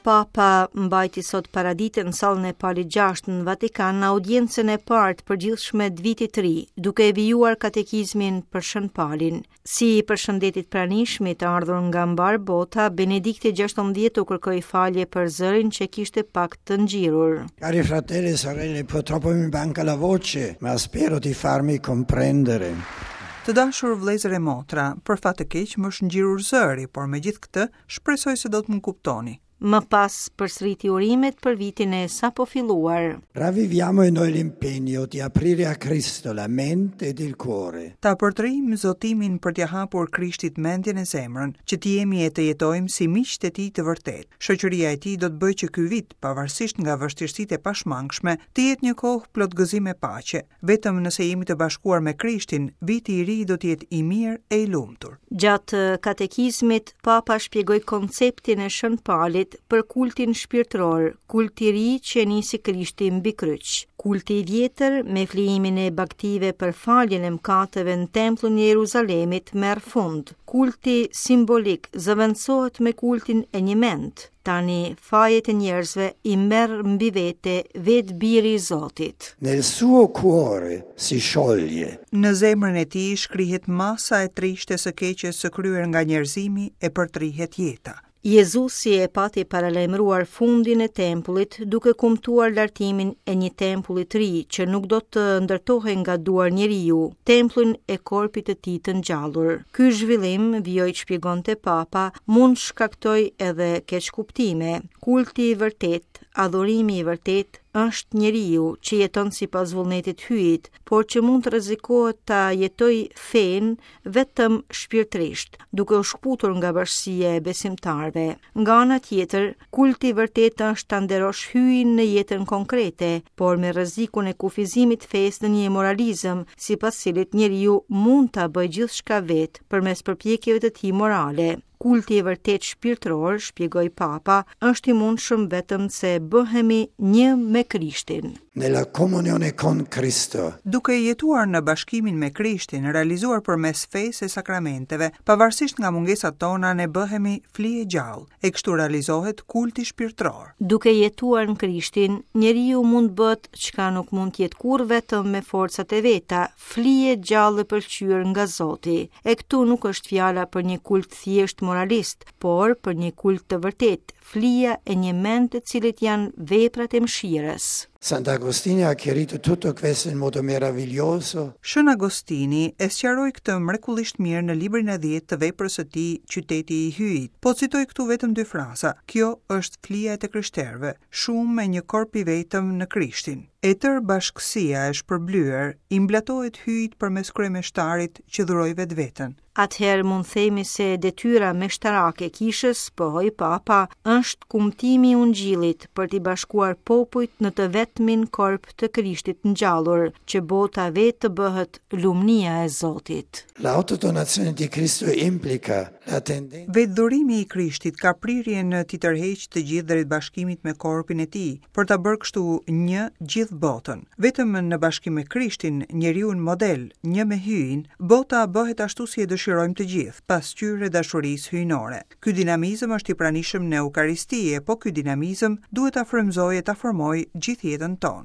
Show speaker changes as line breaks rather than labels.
Papa mbajti sot paradite në sallën e Palit VI në Vatikan në audiencën e parë të përgjithshme të vitit të ri, duke e vijuar katekizmin për Shën Palin. Si i përshëndeti të pranishmit të ardhur nga mbarë bota, Benedikti XVI u kërkoi falje për zërin që kishte pak të ngjirur.
Cari fratelli e sorelle, purtroppo mi manca la voce, ma spero di farmi comprendere.
Të dashur vëllezër e motra, për fat të keq më është ngjirur zëri, por megjithëkëtë, Shpresoj se do të më kuptoni.
Më pas përsëriti urimet për vitin e sapofilluar.
Ravviviamo in noi l'impegno di aprire a Cristo la mente ed il cuore.
Ta përtërijmë zotimin për t'ia hapur Krishtit mendjen e zemrën, që të jemi e të jetojmë si miqtë e tij të vërtetë. Shoqëria e tij do të bëjë që ky vit, pavarësisht nga vështirësitë e pashmangshme, të jetë një kohë plot gëzim e paqe. Vetëm nëse jemi të bashkuar me Krishtin, viti i ri do të jetë i mirë e i lumtur.
Gjatë katekizmit, Papa shpjegoi konceptin e Shën Palit për kultin shpirtëror, kult i ri që e nisi Krishti mbi kryq. Kulti i vjetër, me flijimin e bagëtive për faljen e mëkateve në tempullin e Jeruzalemit, merr fund. Kulti simbolik zëvendësohet me kultin e njëmendtë. Tani fajet e njerëzve i merr mbi vete vetë Biri i Zotit.
Nel suo cuore si scioglie.
Në zemrën e tij shkrihet masa e trishtë e së keqes së kryer nga njerëzimi e përtrihet jeta.
Jezusi e pati paralajmëruar fundin e tempullit duke kumtuar lartimin e një tempulli të ri që nuk do të ndërtohej nga duar njeriu, tempullin e korpit të tij të ngjallur. Ky zhvillim, vijoi të shpjegonte Papa, mund të shkaktojë edhe keqkuptime. Kulti i vërtetë, adhurimi i vërtetë, është njeriu që jeton sipas vullnetit të Hyjit, por që mund të rrezikohet ta jetojë fenë vetëm shpirtërisht, duke u shkëputur nga bashkësia e besimtarëve. Nga ana tjetër, kulti i vërtetë është ta nderosh Hyjin në jetën konkrete, por me rrezikun e kufizimit të fesë në një moralizëm, sipas cilit njeriu mund ta bëjë gjithçka vetë përmes përpjekjeve të tij morale. Kulti i vërtetë shpirtëror, shpjegoi Papa, është i mundshëm vetëm se bëhemi një me Krishtin.
Nella comunione con Cristo.
Duke jetuar në bashkimin me Krishtin, realizuar përmes fesë e sakramenteve, pavarësisht nga mungesat tona ne bëhemi fli e gjallë, e kështu realizohet kulti shpirtëror.
Duke jetuar në Krishtin, njeriu mund të bëhet çka nuk mund të jetë kurrë vetëm me forcat e veta, fli e gjallë e pëlqyer nga Zoti. E këtu nuk është fjala për një kult thjesht moralist, por për një kult të vërtetë, Flija e njëmendtë të cilit janë veprat e mëshirës.
Sant'Agostino ha chiarito tutto questo in modo meraviglioso.
Shën Agostini e sqaroi këtë mrekullisht mirë në librin e dhjetë të veprës së tij Qyteti i Hyjit. Po citoj këtu vetëm dy fraza, Kjo është flija e të krishterëve, shumë e një korp i vetëm në Krishtin. E tërë bashkësia e shpërblyer i mblatohet Hyjit përmes kryemeshtarit që dhuroi vetveten.
Atëherë mund themi se detyra meshtarake e kishës, pohoi Papa, është kumtimi i Ungjillit për t'i bashkuar popujt në të vetmin korp të Krishtit ngjallur, që bota vetë të bëhet lumnia e Zotit.
L'autodonazione di Cristo implica la tendenza.
Vetëdhurimi i Krishtit ka prirjen t'i tërheqë të gjithë drejt bashkimit me korpin e tij, për ta bërë kështu një gjithë botën. Vetëm në bashkim me Krishtin, njeriun model, një me Hyjin, bota bëhet ashtu si e dëshirojmë të gjithë, pasqyrë e dashurisë hyjnore. Ky dinamizëm është i pranishëm në Eukaristi e po ky dinamizëm duhet ta frymëzojë e ta formojë gjithë jetën tonë.